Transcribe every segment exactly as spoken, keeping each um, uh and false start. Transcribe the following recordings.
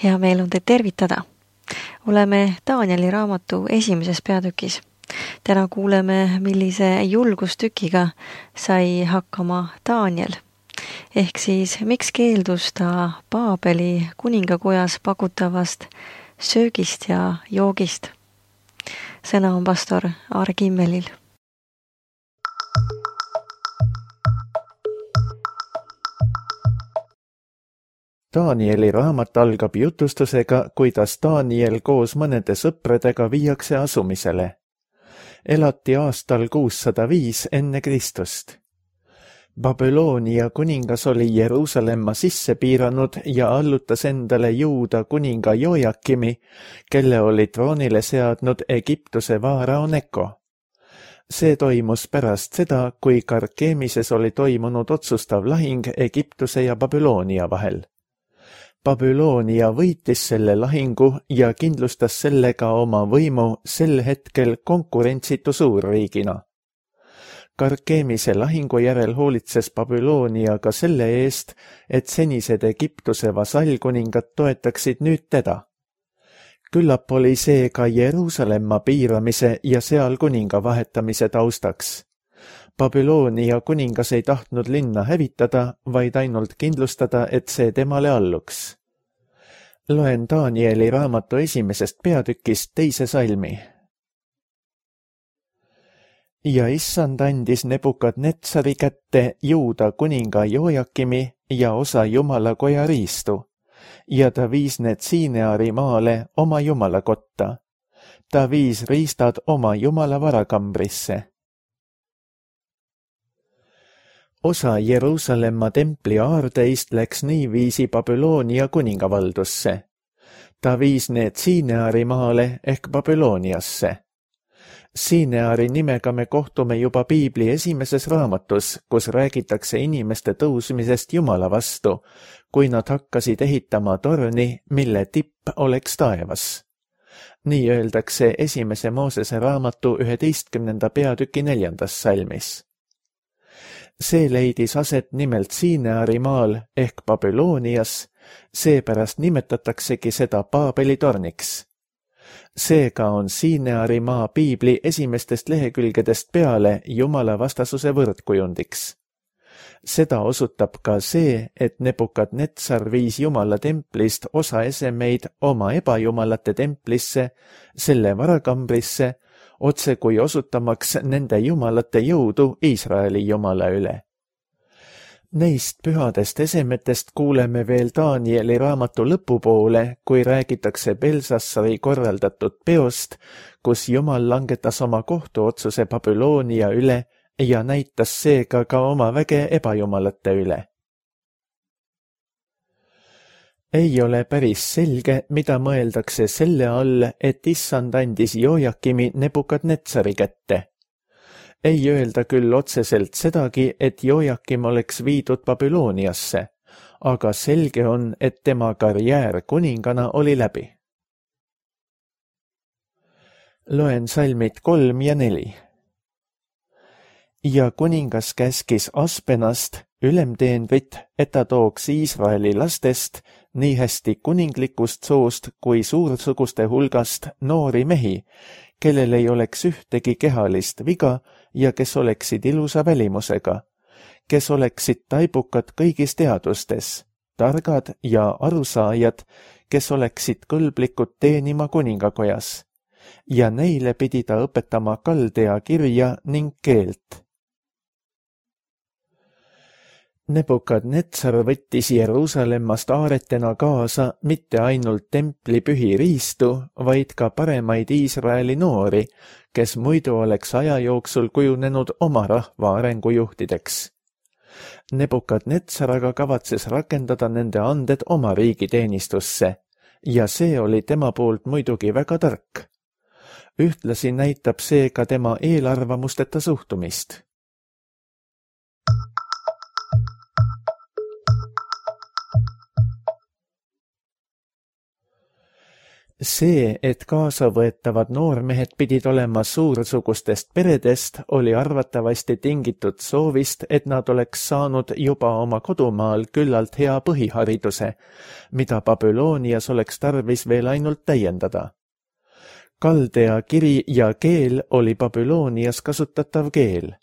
Hea meel on teid tervitada. Oleme Danieli raamatu esimeses peatükis. Täna kuuleme, millise julgustükiga sai hakkama Daniel. Ehk siis, miks keeldus ta Paabeli kuningakojas pakutavast söögist ja joogist. Sõna on pastor Aare Kimmelil. Danieli raamat algab jutustusega, kuidas Daniel koos mõnede sõpradega viiakse asumisele. Elati aastal kuussada viis enne Kristust. Babyloonia kuningas oli Jeruusalemma sisse piiranud ja allutas endale Juuda kuninga Jojakimi, kelle oli troonile seadnud Egiptuse vaarao Neko. See toimus pärast seda, kui Karkemises oli toimunud otsustav lahing Egiptuse ja Babyloonia vahel. Babyloonia võitis selle lahingu ja kindlustas sellega oma võimu sel hetkel konkurentsitu suurriigina. Karkemise lahingu järel hoolitses Babyloonia ka selle eest, et senised Egiptuse vasallkuningad toetaksid nüüd teda. Küllap oli see ka Jeruusalemma piiramise ja seal kuninga vahetamise taustaks. Babyloonia kuningas ei tahtnud linna hävitada, vaid ainult kindlustada, et see temale alluks. Loen Danieli raamatu esimesest peatükist teise salmi. Ja issand andis Nebukadnetsari kätte Juuda kuninga Jojakimi ja osa jumalakoja riistu, ja ta viis need Siineari maale oma jumalakotta. Ta viis riistad oma jumala varakambrisse. Osa Jeruusalemma templi aardeist läks niiviisi Babyloonia kuningavaldusse. Ta viis need Siineari maale ehk Babyloniasse. Siineari nimega me kohtume juba Piibli esimeses raamatus, kus räägitakse inimeste tõusmisest Jumala vastu, kui nad hakkasid ehitama torni, mille tipp oleks taevas. Nii öeldakse esimese Moosese raamatu üheteistkümnenda peatüki neljandas salmis. See leidis aset nimelt Siineari maal ehk Babylonias, seepärast nimetataksegi seda Paabeli torniks. Seega on Siineari maa Piibli esimestest lehekülgedest peale Jumala vastasuse võrdkujundiks. Seda osutab ka see, et Nebukadnetsar viis Jumala templist osa esemeid oma ebajumalate templisse, selle varakambrisse, otse kui osutamaks nende jumalate jõudu Iisraeli jumala üle. Neist pühadest esemetest kuuleme veel Danieli raamatu lõpupoole, kui räägitakse Belsassari korraldatud peost, kus Jumal langetas oma kohtuotsuse Babyloonia üle ja näitas seega ka oma väge ebajumalate üle. Ei ole päris selge, mida mõeldakse selle all, et issand andis Jojakimi Nebukadnetsari kätte. Ei öelda küll otseselt sedagi, et Jojakim oleks viidud Babyloniasse, aga selge on, et tema karjäär kuningana oli läbi. Loen salmid kolm ja neli. Ja kuningas käskis Aspenast, ülemteenrit, et ta tooks Iisraeli lastest nii hästi kuninglikust soost kui suursuguste hulgast noori mehi, kellel ei oleks ühtegi kehalist viga ja kes oleksid ilusa välimusega, kes oleksid taibukad kõigis teadustes, targad ja arusaajad, kes oleksid kõlblikud teenima kuningakojas, ja neile pidi ta õpetama kaldea kirja ning keelt. Nebukadnetsar võttis Jeruusalemmast aaretena kaasa mitte ainult templi pühi riistu, vaid ka paremaid Iisraeli noori, kes muidu oleks aja jooksul kujunenud oma rahva arengujuhtideks. Nebukadnetsar aga kavatses rakendada nende anded oma riigi teenistusse, ja see oli tema poolt muidugi väga tark. Ühtlasi näitab see ka tema eelarvamusteta suhtumist. See, et kaasavõetavad noormehed pidid olema suursugustest peredest, oli arvatavasti tingitud soovist, et nad oleks saanud juba oma kodumaal küllalt hea põhihariduse, mida Babüloonias oleks tarvis veel ainult täiendada. Kaldea kiri ja keel oli Babüloonias kasutatav keel.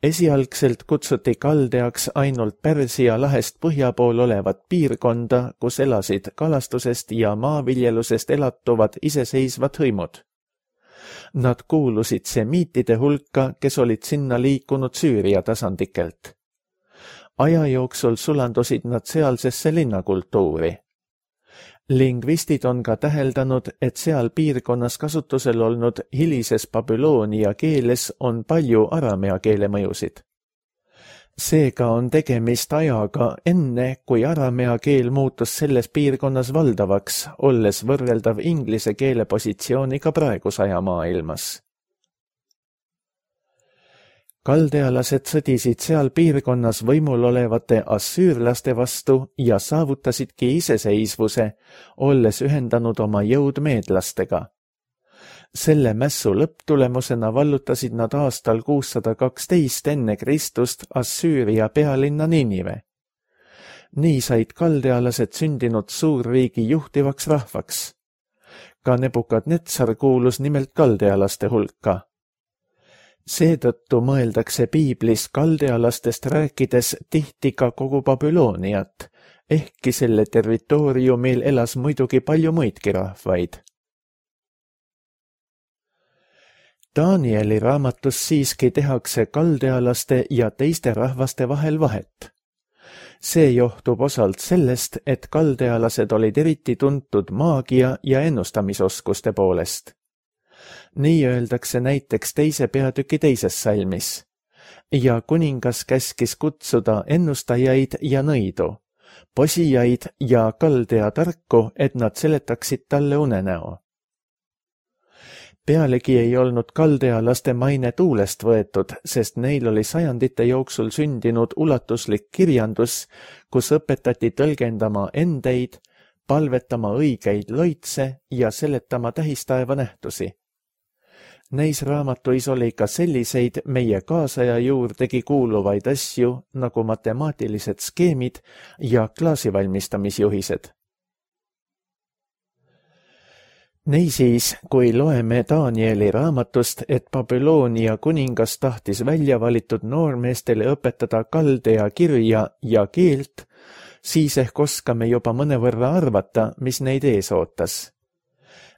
Esialgselt kutsuti Kaldeaks ainult Pärsia lahest põhja pool olevat piirkonda, kus elasid kalastusest ja maaviljelusest elatuvad iseseisvad hõimud. Nad kuulusid semiitide hulka, kes olid sinna liikunud Süüria tasandikelt. Aja jooksul sulandusid nad sealsesse linnakultuuri. Lingvistid on ka täheldanud, et seal piirkonnas kasutusel olnud hilises Babyloonia keeles on palju aramea keele mõjusid. Seega on tegemist ajaga enne, kui aramea keel muutus selles piirkonnas valdavaks, olles võrreldav inglise keele positsiooniga praeguse aja maailmas. Kaldealased sõdisid seal piirkonnas võimul olevate assüürlaste vastu ja saavutasidki iseseisvuse, olles ühendanud oma jõud meedlastega. Selle mässu lõpptulemusena vallutasid nad aastal kuussada kaksteist enne Kristust Assüüria pealinna Ninive. Nii said kaldealased sündinud suurriigi juhtivaks rahvaks. Ka Nebukadnetsar kuulus nimelt kaldealaste hulka. Seetõttu mõeldakse piiblis kaldealastest rääkides tihti ka kogu Babülooniat, ehkki selle territooriumil elas muidugi palju muidki rahvaid. Danieli raamatus siiski tehakse kaldealaste ja teiste rahvaste vahel vahet. See johtub osalt sellest, et kaldealased olid eriti tuntud maagia ja ennustamisoskuste poolest. Nii öeldakse näiteks teise peatüki teises salmis. Ja kuningas käskis kutsuda ennustajaid ja nõidu, posijaid ja kaldea tarku, et nad seletaksid talle unenäo. Pealegi ei olnud kaldealaste maine tuulest võetud, sest neil oli sajandite jooksul sündinud ulatuslik kirjandus, kus õpetati tõlgendama endeid, palvetama õigeid loitse ja seletama tähistaeva nähtusi. Neis raamatuis oli ka selliseid meie kaasaja juurdegi kuuluvaid asju nagu matemaatilised skeemid ja klaasivalmistamisjuhised. Niisiis, kui loeme Danieli raamatust, et Babyloonia kuningas tahtis välja valitud noormeestele õpetada kaldea kirja ja keelt, siis ehk oskame juba mõnevõrra arvata, mis neid ees ootas.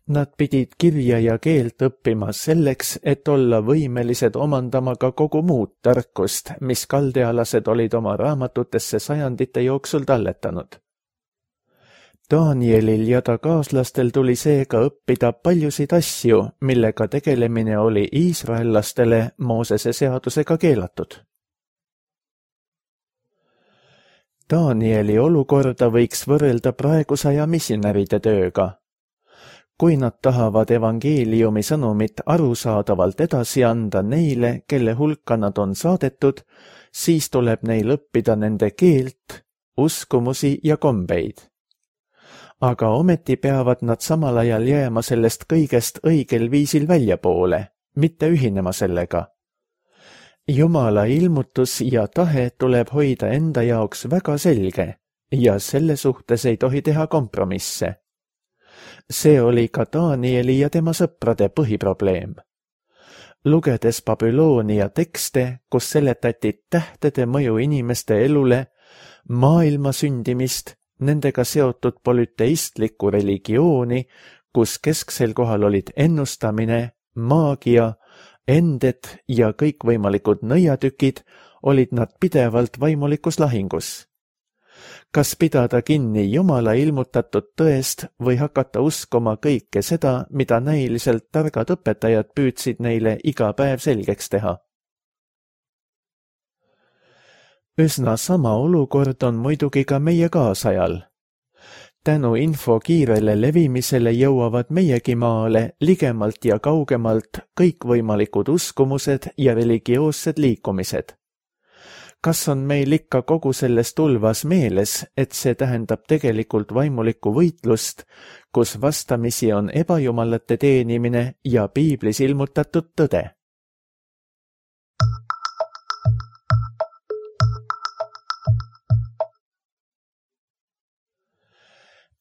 Nad pidid kirja ja keelt õppima selleks, et olla võimelised omandama ka kogu muud tarkust, mis kaldealased olid oma raamatutesse sajandite jooksul talletanud. Danielil ja ta kaaslastel tuli seega õppida paljusid asju, millega tegelemine oli iisraellastele Moosese seadusega keelatud. Danieli olukorda võiks võrrelda praegusaja missionäride tööga. Kui nad tahavad evangeeliumi sõnumit arusaadavalt edasi anda neile, kelle hulka nad on saadetud, siis tuleb neil õppida nende keelt, uskumusi ja kombeid. Aga ometi peavad nad samal ajal jääma sellest kõigest õigel viisil väljapoole, mitte ühinema sellega. Jumala ilmutus ja tahe tuleb hoida enda jaoks väga selge ja selle suhtes ei tohi teha kompromisse. See oli ka Danieli ja tema sõprade põhiprobleem. Lugedes Babyloonia tekste, kus seletati tähtede mõju inimeste elule, maailma sündimist, nendega seotud polüteistlikku religiooni, kus kesksel kohal olid ennustamine, maagia, ended ja kõikvõimalikud nõiatükid, olid nad pidevalt vaimulikus lahingus. Kas pidada kinni Jumala ilmutatud tõest või hakata uskuma kõike seda, mida näiliselt targad õpetajad püüdsid neile iga päev selgeks teha? Üsna sama olukord on muidugi ka meie kaasajal. Tänu info kiirele levimisele jõuavad meiegi maale ligemalt ja kaugemalt kõikvõimalikud uskumused ja religioossed liikumised. Kas on meil ikka kogu selles tulvas meeles, et see tähendab tegelikult vaimulikku võitlust, kus vastamisi on ebajumalate teenimine ja piiblis ilmutatud tõde?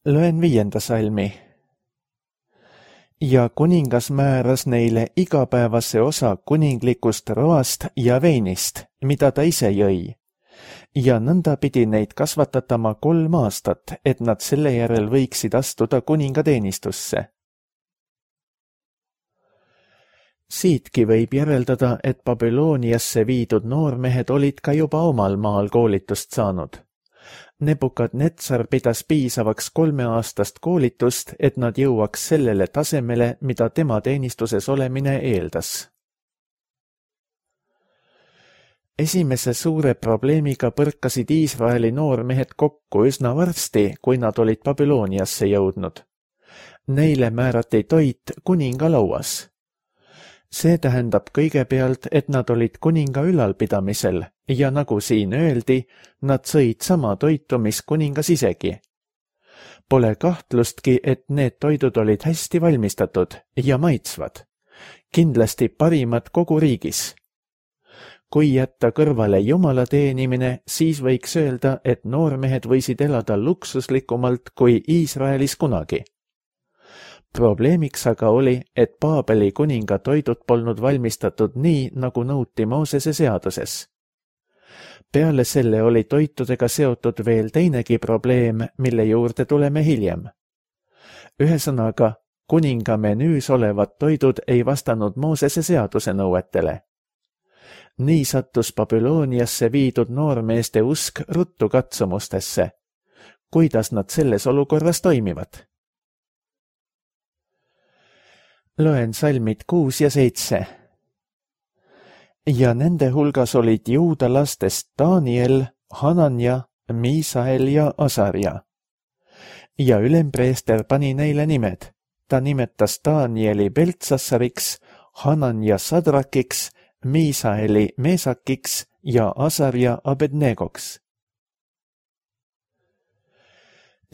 Loen viienda salmi. Ja kuningas määras neile igapäevase osa kuninglikust roast ja veinist, mida ta ise jõi. Ja nõnda pidi neid kasvatatama kolm aastat, et nad selle järel võiksid astuda kuningateenistusse. Siitki võib järeldada, et Babyloniasse viidud noormehed olid ka juba omal maal koolitust saanud. Nebukadnetsar pidas piisavaks kolmeaastast koolitust, et nad jõuaks sellele tasemele, mida tema teenistuses olemine eeldas. Esimese suure probleemiga põrkasid Iisraeli noormehed kokku üsna varsti, kui nad olid Babyloniasse jõudnud. Neile määrati toit kuninga lauas. See tähendab kõigepealt, et nad olid kuninga ülalpidamisel ja nagu siin öeldi, nad sõid sama toitu, mis kuningas isegi. Pole kahtlustki, et need toidud olid hästi valmistatud ja maitsvad. Kindlasti parimad kogu riigis. Kui jätta kõrvale jumala teenimine, siis võiks öelda, et noormehed võisid elada luksuslikumalt kui Iisraelis kunagi. Probleemiks aga oli, et Paabeli kuninga toidud polnud valmistatud nii, nagu nõuti Moosese seaduses. Peale selle oli toitudega seotud veel teinegi probleem, mille juurde tuleme hiljem. Ühesõnaga, kuninga menüüs olevad toidud ei vastanud Moosese seaduse nõuetele. Nii sattus Babyloniasse viidud noormeeste usk ruttu katsumustesse. Kuidas nad selles olukorras toimivad? Loen salmid kuus ja seitse. Ja nende hulgas olid juuda lastest Daniel, Hananja, Miisael ja Asarja. Ja ülempreester pani neile nimed. Ta nimetas Danieli Beltsassariks, Hananja Sadrakiks, Miisaeli Meesakiks ja Asarja Abednegoks.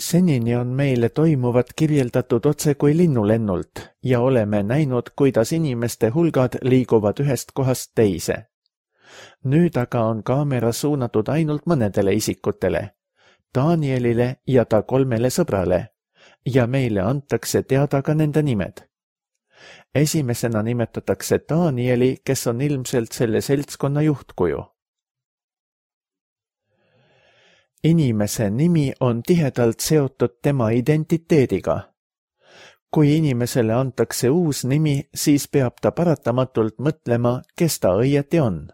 Senini on meile toimuvat kirjeldatud otse kui linnulennult ja oleme näinud, kuidas inimeste hulgad liiguvad ühest kohast teise. Nüüd aga on kaamera suunatud ainult mõnedele isikutele, Danielile ja ta kolmele sõbrale, ja meile antakse teada ka nende nimed. Esimesena nimetatakse Danieli, kes on ilmselt selle seltskonna juhtkuju. Inimese nimi on tihedalt seotud tema identiteediga. Kui inimesele antakse uus nimi, siis peab ta paratamatult mõtlema, kes ta õieti on.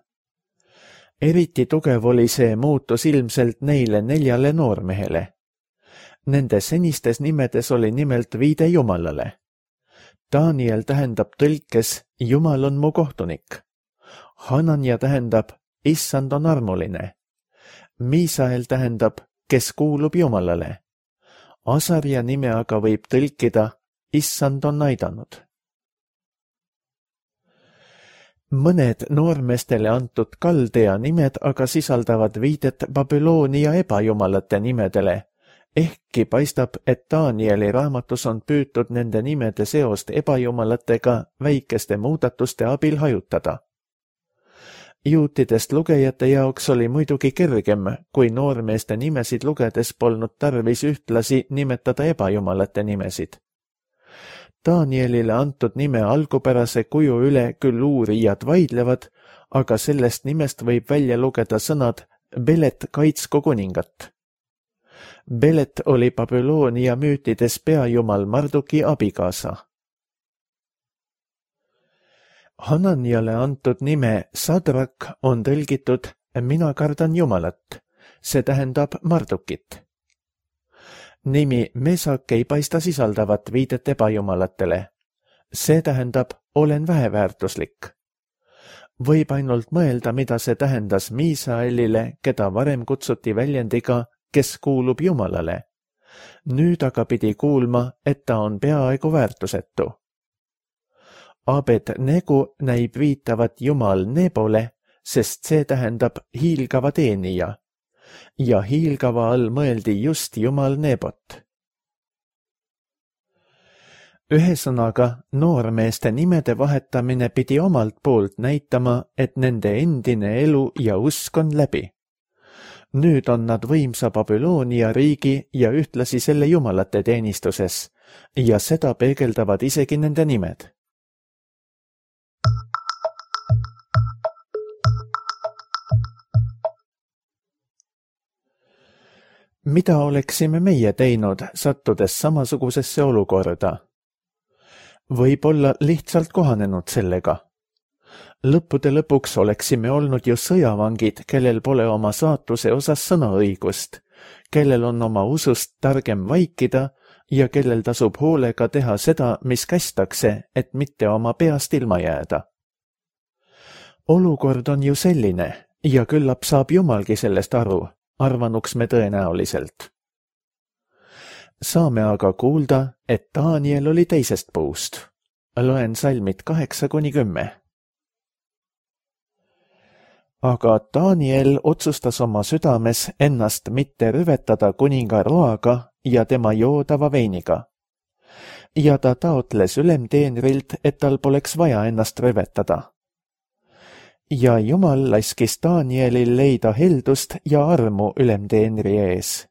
Eriti tugev oli see muutus ilmselt neile neljale noormehele. Nende senistes nimedes oli nimelt viide Jumalale. Daniel tähendab tõlkes Jumal on mu kohtunik. Hananja tähendab Issand on armuline. Miisael tähendab, kes kuulub Jumalale. Asarja nime aga võib tõlkida, Issand on aidanud. Mõned noormestele antud kaldea nimed aga sisaldavad viidet Babylonia ebajumalate nimedele, ehkki paistab, et Danieli raamatus on püütud nende nimede seost ebajumalatega väikeste muudatuste abil hajutada. Juutidest lugejate jaoks oli muidugi kergem, kui noormeeste nimesid lugedes polnud tarvis ühtlasi nimetada ebajumalate nimesid. Danielile antud nime algupärase kuju üle küll uurijad vaidlevad, aga sellest nimest võib välja lugeda sõnad Belet kaitsku kuningat. Belet oli Babylonia müütides peajumal Marduki abikaasa. Hananjale antud nime Sadrak on tõlgitud mina kardan Jumalat, see tähendab Mardukit. Nimi Mesak ei paista sisaldavat viidet ebajumalatele, see tähendab olen väheväärtuslik. Võib ainult mõelda, mida see tähendas Miisaelile, keda varem kutsuti väljendiga, kes kuulub Jumalale. Nüüd aga pidi kuulma, et ta on peaaegu väärtusetu. Abed Negu näib viitavat Jumal Nebole, sest see tähendab hiilgava teenija ja hiilgava all mõeldi just Jumal Nebot. Ühesõnaga, noormeeste nimede vahetamine pidi omalt poolt näitama, et nende endine elu ja usk on läbi. Nüüd on nad võimsa Babyloonia riigi ja ühtlasi selle jumalate teenistuses ja seda peegeldavad isegi nende nimed. Mida oleksime meie teinud, sattudes samasugusesse olukorda? Võib-olla lihtsalt kohanenud sellega. Lõppude lõpuks oleksime olnud ju sõjavangid, kellel pole oma saatuse osas sõnaõigust, kellel on oma usust targem vaikida ja kellel tasub hoolega teha seda, mis kästakse, et mitte oma peast ilma jääda. Olukord on ju selline ja küllap saab Jumalgi sellest aru, arvanuks me tõenäoliselt. Saame aga kuulda, et Daniel oli teisest puust. Loen salmid kaheksa kuni kümme. Aga Daniel otsustas oma südames ennast mitte rüvetada kuninga roaga ja tema joodava veiniga. Ja ta taotles ülemteenrilt, et tal poleks vaja ennast rüvetada. Ja Jumal laskis Danielil leida heldust ja armu ülemteenri ees.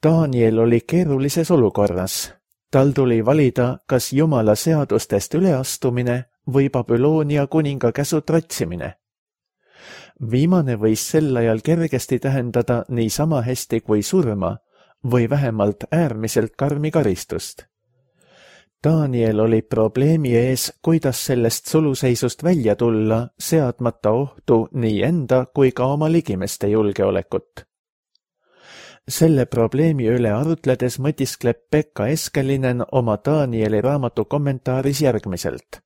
Daniel oli keerulises olukorras. Tal tuli valida, kas Jumala seadustest üleastumine või Babyloonia kuninga käsu tratsimine. Viimane võis sel ajal kergesti tähendada nii sama hästi kui surma või vähemalt äärmiselt karmi karistust. Daniel oli probleemi ees, kuidas sellest suluseisust välja tulla, seadmata ohtu nii enda kui ka oma ligimeste julgeolekut. Selle probleemi üle arutledes mõtiskleb Pekka Eskelinen oma Danieli raamatu kommentaaris järgmiselt.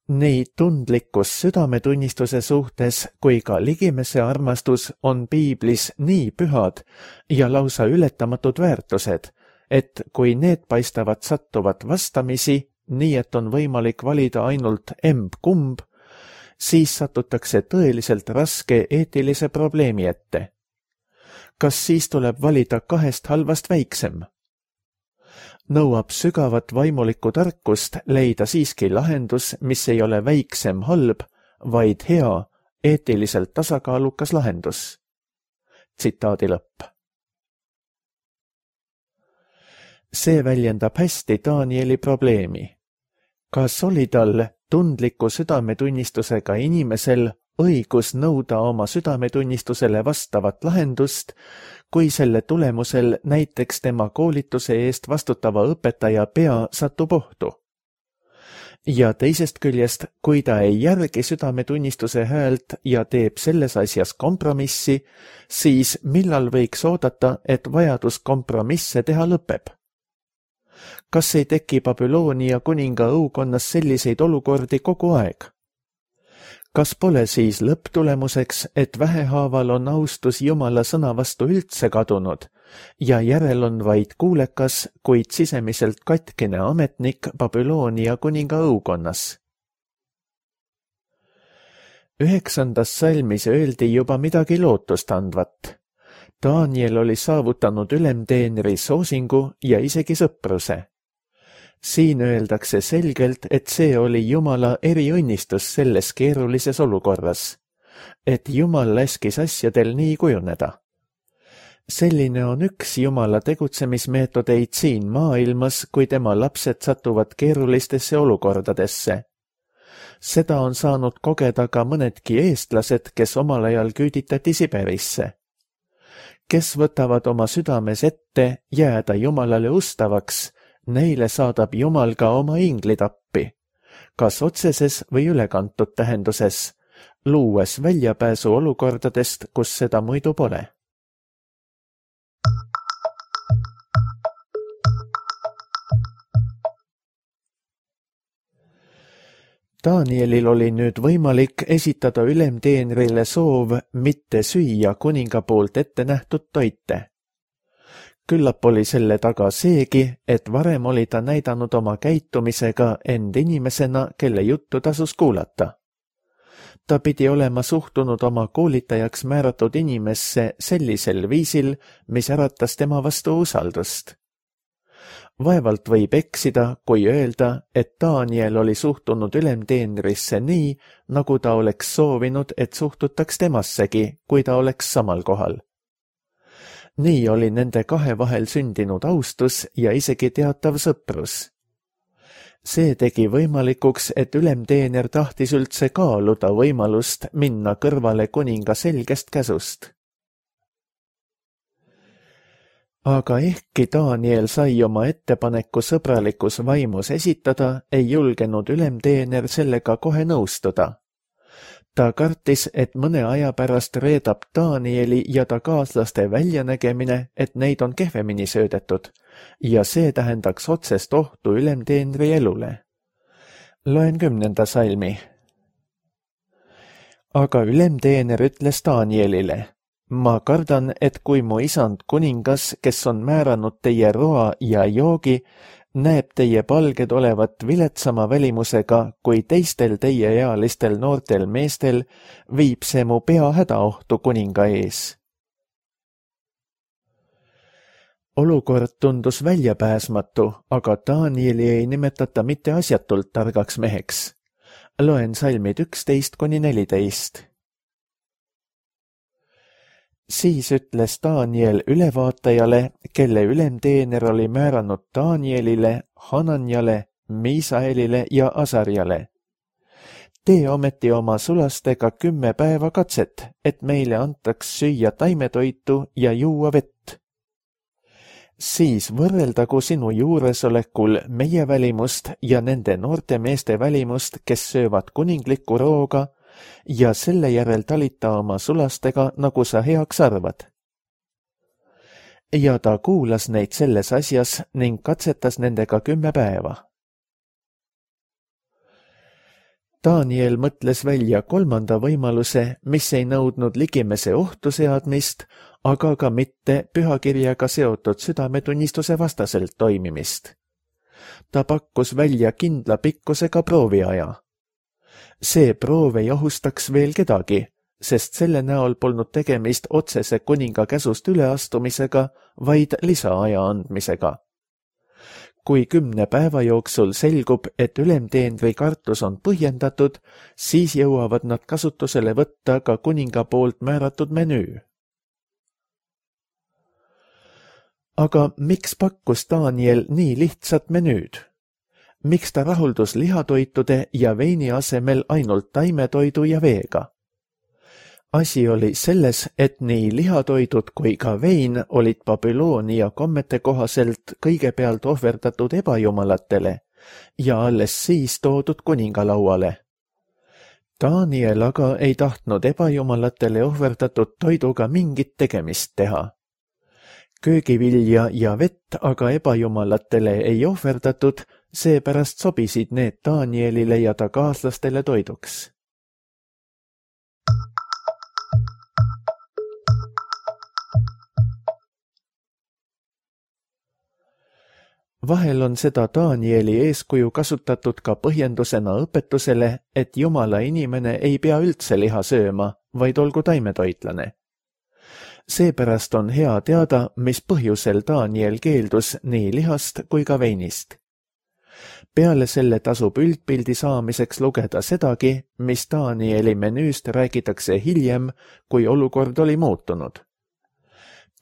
Nii tundlikkus südametunnistuse suhtes kui ka ligimese armastus on piiblis nii pühad ja lausa ületamatud väärtused, et kui need paistavad sattuvat vastamisi, nii et on võimalik valida ainult emb-kumb, siis satutakse tõeliselt raske eetilise probleemi ette. Kas siis tuleb valida kahest halvast väiksem? Nõuab sügavat vaimulikku tarkust leida siiski lahendus, mis ei ole väiksem halb, vaid hea, eetiliselt tasakaalukas lahendus. Tsitaadi lõpp. See väljendab hästi Danieli probleemi. Kas oli tal tundliku südametunnistusega inimesel õigus nõuda oma südametunnistusele vastavat lahendust, kui selle tulemusel näiteks tema koolituse eest vastutava õpetaja pea satub ohtu? Ja teisest küljest, kui ta ei järgi südametunnistuse häält ja teeb selles asjas kompromissi, siis millal võiks oodata, et vajadus kompromisse teha lõpeb? Kas ei teki Babyloonia kuninga õukonnas selliseid olukordi kogu aeg? Kas pole siis lõpptulemuseks, et vähehaaval on austus Jumala sõna vastu üldse kadunud ja järel on vaid kuulekas, kuid sisemiselt katkine ametnik Babyloonia kuninga õukonnas? Üheksandas salmis öeldi juba midagi lootustandvat. Daniel oli saavutanud ülemteenri soosingu ja isegi sõpruse. Siin öeldakse selgelt, et see oli Jumala eriõnnistus selles keerulises olukorras, et Jumal laskis asjadel nii kujuneda. Selline on üks Jumala tegutsemismeetodeid siin maailmas, kui tema lapsed satuvad keerulistesse olukordadesse. Seda on saanud kogeda ka mõnedki eestlased, kes omal ajal küüditati Siberisse. Kes võtavad oma südames ette jääda Jumalale ustavaks, neile saadab Jumal ka oma inglid appi, kas otseses või ülekantud tähenduses, luues väljapääsu olukordadest, kus seda muidu pole. Danielil oli nüüd võimalik esitada ülemteenrile soov mitte süüa kuninga poolt ette nähtud toite. Küllap oli selle taga seegi, et varem oli ta näidanud oma käitumisega end inimesena, kelle juttu tasus kuulata. Ta pidi olema suhtunud oma koolitajaks määratud inimesse sellisel viisil, mis äratas tema vastu usaldust. Vaevalt võib eksida, kui öelda, et Daniel oli suhtunud ülemteenrisse nii, nagu ta oleks soovinud, et suhtutaks temassegi, kui ta oleks samal kohal. Nii oli nende kahe vahel sündinud austus ja isegi teatav sõprus. See tegi võimalikuks, et ülemteener tahtis üldse kaaluda võimalust minna kõrvale kuninga selgest käsust. Aga ehkki Daniel sai oma ettepaneku sõbralikus vaimus esitada, ei julgenud ülemteener sellega kohe nõustuda. Ta kartis, et mõne aja pärast reedab Danieli ja ta kaaslaste väljanägemine, et neid on kehvemini söödetud, ja see tähendaks otsest ohtu ülemteenri elule. Loen kümnenda salmi. Aga ülemteener ütles Danielile: ma kardan, et kui mu isand kuningas, kes on määranud teie roa ja joogi, näeb teie palged olevat viletsama välimusega kui teistel teieealistel noortel meestel, viib see mu pea hädaohtu kuninga ees. Olukord tundus väljapääsmatu, aga Danieli ei nimetata mitte asjatult targaks meheks. Loen salmid üksteist kuni neliteist. Siis ütles Daniel ülevaatajale, kelle ülemteener oli määranud Danielile, Hananjale, Miisaelile ja Asarjale: tee ometi oma sulastega kümme päeva katset, et meile antaks süüa taimetoitu ja juua vett. Siis võrreldagu sinu juuresolekul meie välimust ja nende noorte meeste välimust, kes söövad kuninglikku rooga, ja selle järel talita oma sulastega, nagu sa heaks arvad. Ja ta kuulas neid selles asjas ning katsetas nendega kümme päeva. Daniel mõtles välja kolmanda võimaluse, mis ei nõudnud ligimese ohtu seadmist, aga ka mitte pühakirjaga seotud südametunnistuse vastaselt toimimist. Ta pakkus välja kindla pikkusega prooviaja. See proov ei ohustaks veel kedagi, sest selle näol polnud tegemist otsese kuninga käsust üleastumisega, vaid lisaaja andmisega. Kui kümne päeva jooksul selgub, et ülemteenri kartus on põhjendatud, siis jõuavad nad kasutusele võtta ka kuninga poolt määratud menüü. Aga miks pakkus Daniel nii lihtsat menüüd? Miks ta rahuldus lihatoitude ja veini asemel ainult taimetoidu ja veega? Asi oli selles, et nii lihatoidud kui ka vein olid Babyloonia kommete kohaselt kõigepealt ohverdatud ebajumalatele ja alles siis toodud kuningalauale. Daniel aga ei tahtnud ebajumalatele ohverdatud toiduga mingit tegemist teha. Köögivilja ja vett aga ebajumalatele ei ohverdatud, seepärast sobisid need Danielile ja ta kaaslastele toiduks. Vahel on seda Danieli eeskuju kasutatud ka põhjendusena õpetusele, et jumala inimene ei pea üldse liha sööma, vaid olgu taimetoitlane. Seepärast on hea teada, mis põhjusel Daniel keeldus nii lihast kui ka veinist. Peale selle tasub üldpildi saamiseks lugeda sedagi, mis Danieli menüüst räägitakse hiljem, kui olukord oli muutunud.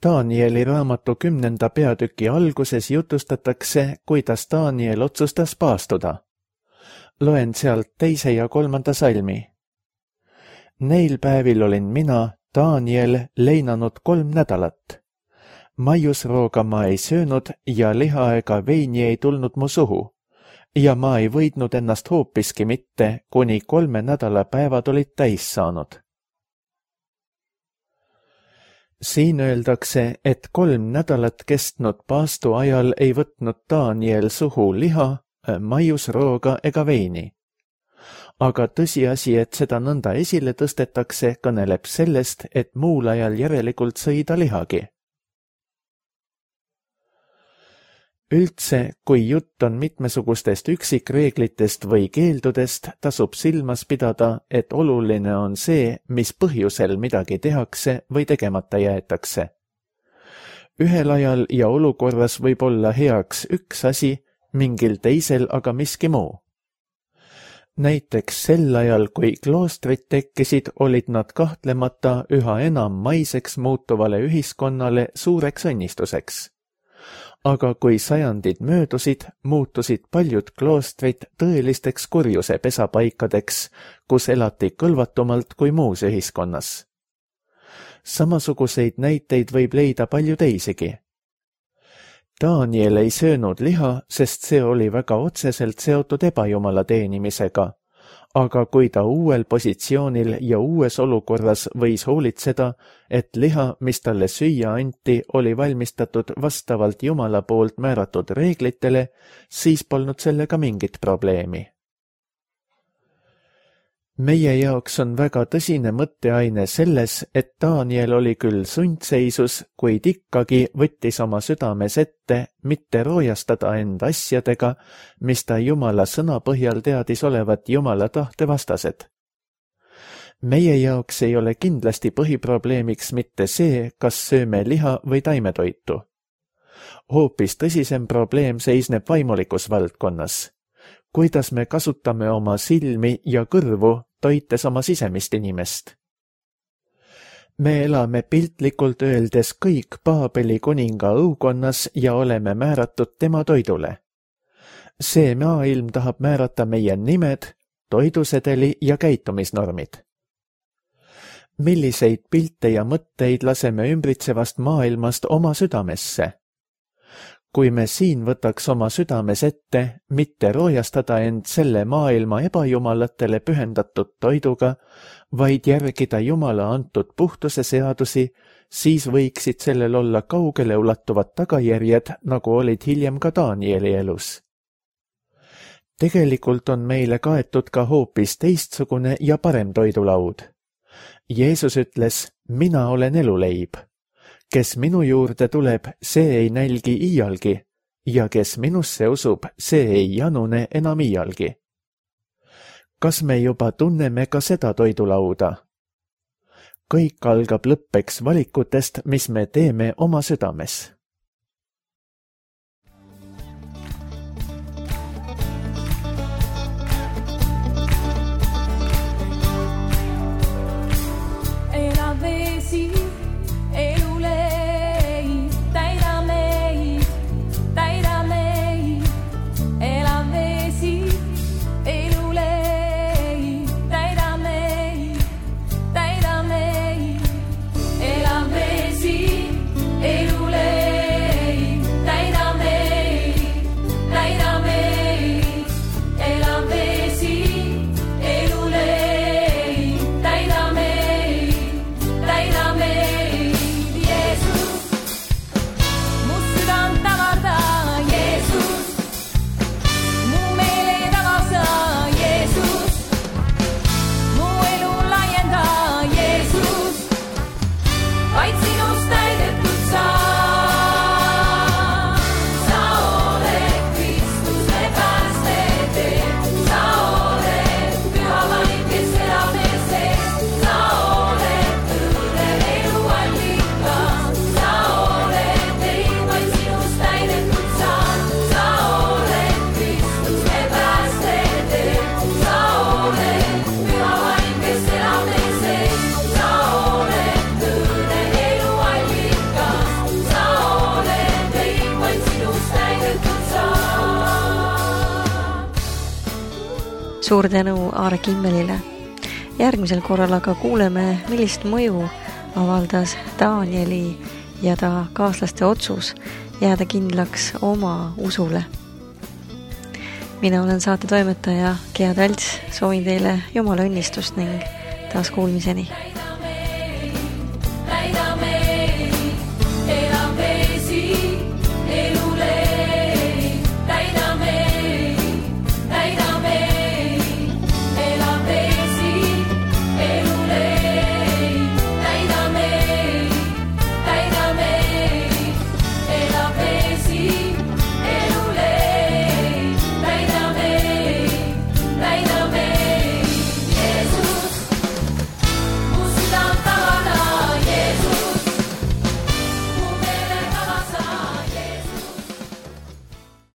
Danieli raamatu kümnenda peatüki alguses jutustatakse, kuidas Daniel otsustas paastuda. Loen sealt teise ja kolmanda salmi. Neil päevil olin mina, Daniel, leinanud kolm nädalat. Maiusrooga ma ei söönud ja liha ega veini ei tulnud mu suhu. Ja ma ei võidnud ennast hoopiski mitte, kuni kolme nädala päevad olid täis saanud. Siin öeldakse, et kolm nädalat kestnud paastu ajal ei võtnud Daniel suhu liha, maiusrooga ega veini. Aga tõsiasi, et seda nõnda esile tõstetakse, kõneleb sellest, et muul ajal järelikult sõi ta lihagi. Üldse, kui jutt on mitmesugustest üksikreeglitest või keeldudest, tasub silmas pidada, et oluline on see, mis põhjusel midagi tehakse või tegemata jäetakse. Ühel ajal ja olukorras võib olla heaks üks asi, mingil teisel aga miski muu. Näiteks sel ajal, kui kloostrid tekkisid, olid nad kahtlemata üha enam maiseks muutuvale ühiskonnale suureks õnnistuseks. Aga kui sajandid möödusid, muutusid paljud kloostrid tõelisteks kurjuse pesapaikadeks, kus elati kõlvatumalt kui muus ühiskonnas. Samasuguseid näiteid võib leida palju teisigi. Daniel ei söönud liha, sest see oli väga otseselt seotud ebajumala teenimisega, aga kui ta uuel positsioonil ja uues olukorras võis hoolitseda, et liha, mis talle süüa anti, oli valmistatud vastavalt Jumala poolt määratud reeglitele, siis polnud sellega mingit probleemi. Meie jaoks on väga tõsine mõtteaine selles, et Daniel oli küll sundseisus, kuid ikkagi võttis oma südames ette mitte roojastada end asjadega, mis ta Jumala sõna põhjal teadis olevat Jumala tahte vastased. Meie jaoks ei ole kindlasti põhiprobleemiks mitte see, kas sööme liha või taimetoitu. Hoopis tõsisem probleem seisneb vaimulikus valdkonnas. Kuidas me kasutame oma silmi ja kõrvu, toites oma sisemist inimest. Me elame piltlikult öeldes kõik Paabeli kuninga õukonnas ja oleme määratud tema toidule. See maailm tahab määrata meie nimed, toidusedeli ja käitumisnormid. Milliseid pilte ja mõtteid laseme ümbritsevast maailmast oma südamesse? Kui me siin võtaks oma südames ette, mitte roojastada end selle maailma ebajumalatele pühendatud toiduga, vaid järgida Jumala antud puhtuse seadusi, siis võiksid sellel olla kaugele ulatuvad tagajärjed, nagu olid hiljem ka Danieli elus. Tegelikult on meile kaetud ka hoopis teistsugune ja parem toidulaud. Jeesus ütles, mina olen eluleib. Kes minu juurde tuleb, see ei nälgi iialgi, ja kes minusse usub, see ei janune enam iialgi. Kas me juba tunneme ka seda toidulauda? Kõik algab lõppeks valikutest, mis me teeme oma südames. Suur tänu Aare Kimmelile. Järgmisel korral aga kuuleme, millist mõju avaldas Danieli ja ta kaaslaste otsus jääda kindlaks oma usule. Mina olen saate toimetaja Gea Talts, soovin teile Jumala õnnistust ning taas kuulmiseni.